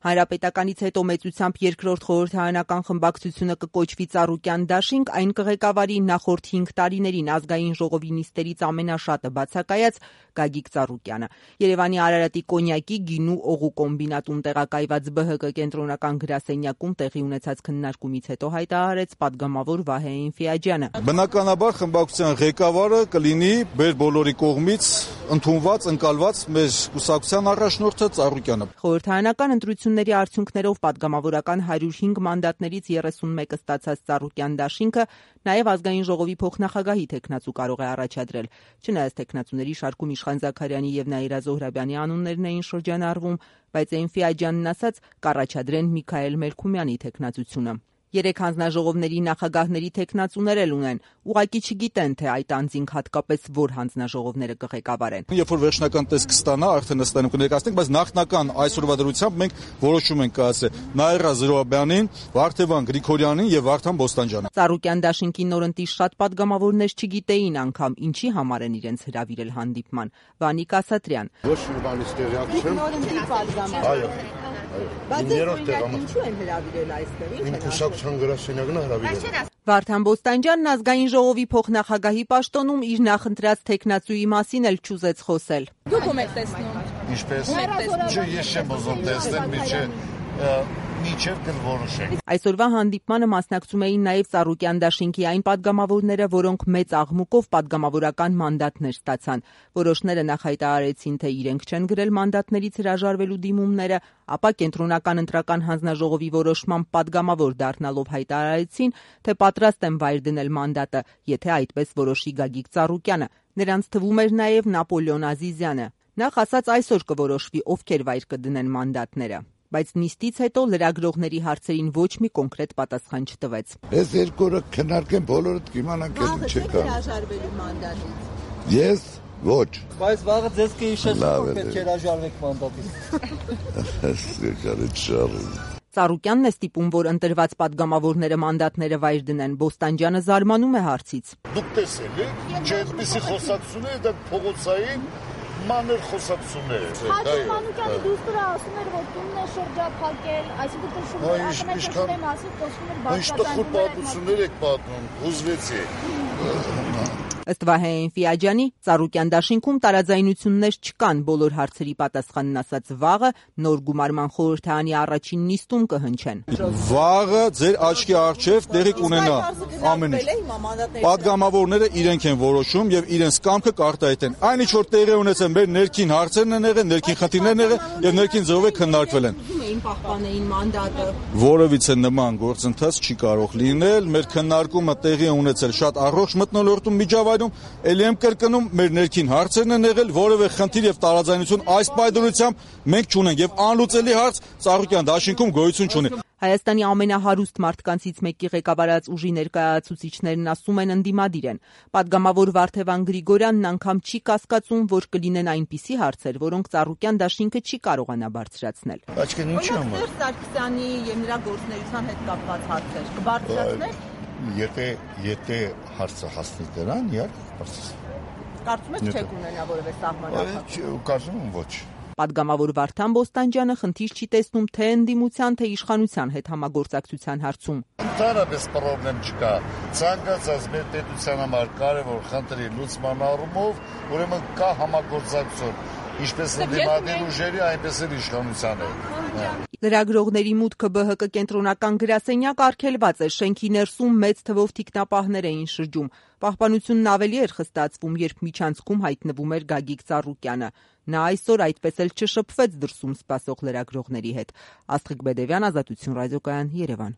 Հանրապետականից հետո մեծությամբ երկրորդ խորհրդարանական խմբակցությունը կկոչվի Ծառուկյան դաշինք, այն կղեկավարի նախորդ 5 տարիներին ազգային ժողովի նիստերից ամենաշատը բացակայած Գագիկ Ծառուկյանը։ Երևանի Արարատի կոնյակի, գինու, օղու կոմբինատում տեղակայված ԲՀԿ կենտրոնական գրասենյակում տեղի ունեցած քննարկումից հետո հայտարարեց պատգամավոր Վահե Էնֆիաջյանը։ Բնականաբար խմբակցության ղեկավարը կլինի մեր բոլորի կողմից ընդունված, ընկալված մեր կուսակցության առաջնորդը Ծառուկյանը։ Խորհրդարանական ընտրությունների արդյունքներով պատգամավորական 105 մանդատներից 31-ը ստացած Ծառուկյան դաշինքը նաև ազգային ժողովի փոխնախագահի թեկնածու կարող է առաջադրել։ Չնայած թեկնածուների շարքում Իշխան Զաքարյանի եւ Նաիրա Զոհրաբյանի անուններն էին շրջանառվում, բայց Էնֆիաջյանն ասաց կառաջադրեն Միքայել Մելքումյանի թեկնածությունը։ 3 հանձնաժողովների նախագահների թեկնածուներ էլ ունեն, ուղղակի չգիտեն, թե այդ անձինք հատկապես որ հանձնաժողովները կղեկավարեն։ Երբ որ վերջնական տեսք կստանա, արդեն ըստանում կներկայացնենք, բայց նախնական այսօրվա դրությամբ մենք որոշում ենք կայացրել Նաիրա Զոհրաբյանին, Վարդևան Գրիգորյանին եւ Վարդան Բոստանջյանին։ Ծառուկյան դաշինքի նորընտիր շատ պատգամավորներ չգիտեին անգամ ինչի համար են իրենց հրավիրել հանդիպման։ Վանիկ Ասատրյան։ Ոչ մի բանից տեղյակ չեմ։ Այո։ Բայց ինչու են հրավիրել այստեղ։ Իմ կուսակցության գրասենյակն է հրավիրել։ Վարդան Բոստանջյանն ազգային ժողովի փոխնախագահի պաշտոնում իր նախընտրած թեկնածուի մասին էլ չուզեց խոսել։ Դուք ում եք տեսնում։ Ինչպես։ Չէ, ես չեմ ուզում տեսնել, միջև կնորոշենք։ Այսօրվա հանդիպմանը մասնակցում էին նաև Ծառուկյան դաշինքի այն պատգամավորները, որոնք մեծ աղմուկով պատգամավորական մանդատներ ստացան։ Որոշները նախ հայտարարեցին, թե իրենք չեն գրել մանդատներից հրաժարվելու դիմումները, ապա կենտրոնական ընտրական հանձնաժողովի որոշմամբ պատգամավոր դառնալով հայտարարեցին, թե պատրաստ են վայր դնել մանդատը, եթե այդպես որոշի Գագիկ Ծառուկյանը։ Նրանց թվում էր նաև Նապոլեոն Ազիզյանը։ Նախ ասաց այսօր կորոշվի ովքեր վայր կդնեն մանդատները։ Բայց նիստից հետո լրագրողների հարցերին ոչ մի կոնկրետ պատասխան չտվեց։ Ես 2 օրը քննարկեմ, բոլորդ կիմանանք էլ չկա։ Հրաժարվելու մանդատից։ Ես ոչ։ Բայց վաղը ձեզ կհիշեցնեմ, որ պետք է հրաժարվեք մանդատից։ Ծառուկյանն է ստիպում, որ ընտրված պատգամավորները մանդատները վայր դնեն։ Բոստանջյանը զարմանում է հարցից։ Դուք տեսել եք, չէ՞ այդպիսի խոսակցություններ, դա փողոցային մանր խոսակցություններ։ Հաջիկ Մանուկյանի դուստրը ասում էր, որ տունն է շրջափակել, այսինքն շրջափակել մասին խոսում էր բարձրացնել։ Ինչ պատմություններ եք պատմում, հուզվեցի։ Ըստ Վահե Էնֆիաջյանի, Ծառուկյան դաշինքում տարաձայնություններ չկան, բոլոր հարցերի պատասխանն ասած վաղը նոր գումարման խորհրդարանի առաջին նիստում կհնչեն։ Վաղը ձեր աչքի առջև տեղի կունենա ամեն ինչ։ Պատգամավորները իրենք են որոշում եւ իրենց կամքը կարտահայտեն։ Այն ինչ որ տեղի ունեցել մեր ներքին հարցերն են եղել, ներքին խնդիրներն են եղել եւ ներքին ձևով քննարկվել են։ Պահպանեին մանդատը։ Որևիցե նման գործընթաց չի կարող լինել։ Մեր քննարկումը տեղի ունեցել շատ առողջ մթնոլորտում միջավայրում, ելի եմ կրկնում, մեր ներքին հարցերն են եղել, որևէ խնդիր եւ տարաձայնություն այս պայմանությամբ մենք չունենք եւ անլուծելի հարց Ծառուկյան դաշինքում գոյություն չունի։ Հայաստանի ամենահարուստ մարդկանցից մեկի ղեկավարած ուժի ներկայացուցիչներն ասում են ընդդիմադիր են։ Պատգամավոր Վարդևան Գրիգորյանն անգամ չի կասկածում, որ կլինեն այնպիսի հարցեր, որոնք Ծառուկյան դաշինքը չի կարողանա բարձրացնել։ Աչքին ինչի՞ համար։ Սերժ Սարգսյանի եւ նրա գործունեության հետ կապված հարցեր կբարձրացնել։ Եթե հարցը հասնի դրան, Կարծում եք չեք ունենա որևէ սահմանափակ։ Կարծում եմ ոչ։ Պատգամավոր Վարդան Բոստանջյանը խնդիր չի տեսնում թե ընդդիմության, թե իշխանության հետ համագործակցության հարցում։ Ընդհանրապես պրոբլեմ չկա։ Ցանկացած մեր պետության համար կարևոր խնդրի լուծման առումով, ուրեմն կա համագործակցություն, ինչպես ընդդիմադիր ուժերի, այնպես էլ իշխանության հետ։ Լրագրողների մուտքը ԲՀԿ կենտրոնական գրասենյակ արգելված է, շենքի ներսում մեծ թվով թիկնապահներ էին շրջում։ Պահպանությունն ավելի էր խստացվում, երբ միջանցքում հայտնվում էր Գագիկ Ծառուկյանը։ Նա այսօր այդպես էլ չշփվեց դրսում սպասող լրագրողների հետ։ Աստղիկ Բեդևյան, Ազատություն ռադիոկայան, Երևան։